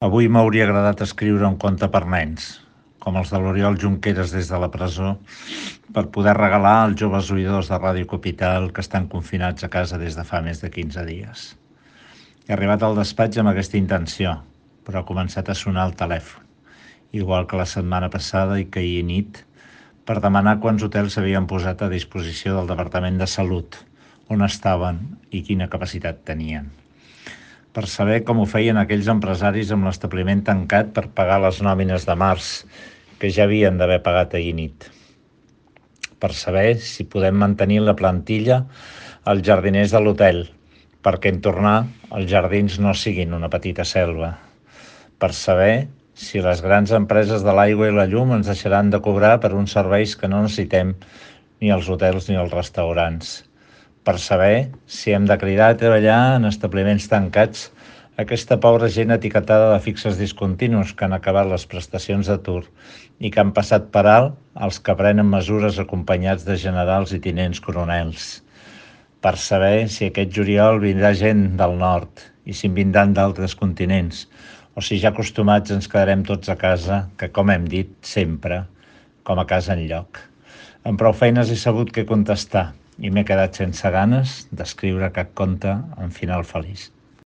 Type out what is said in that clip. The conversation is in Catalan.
Avui m'hauria agradat escriure un conte per nens, com els de l'Oriol Junqueras des de la presó, per poder regalar als joves oïdors de Ràdio Capital que estan confinats a casa des de fa més de 15 dies. He arribat al despatx amb aquesta intenció, però ha començat a sonar el telèfon, igual que la setmana passada i que ahir nit, per demanar quants hotels s'havien posat a disposició del Departament de Salut, on estaven i quina capacitat tenien. Per saber com ho feien aquells empresaris amb l'establiment tancat per pagar les nòmines de març, que ja havien d'haver pagat ahir nit. Per saber si podem mantenir la plantilla als jardiners de l'hotel, perquè en tornar els jardins no siguin una petita selva. Per saber si les grans empreses de l'aigua i la llum ens deixaran de cobrar per uns serveis que no necessitem ni els hotels ni els restaurants. Per saber si hem de cridar a treballar en establiments tancats aquesta pobra gent etiquetada de fixes discontinus que han acabat les prestacions d'atur i que han passat per alt els que prenen mesures acompanyats de generals i tinents coronels. Per saber si aquest juliol vindrà gent del nord i si en vindran d'altres continents, o si ja acostumats ens quedarem tots a casa, que com hem dit sempre, com a casa enlloc. Amb prou feines he sabut què contestar i m'he quedat sense ganes d'escriure cap conte amb final feliç.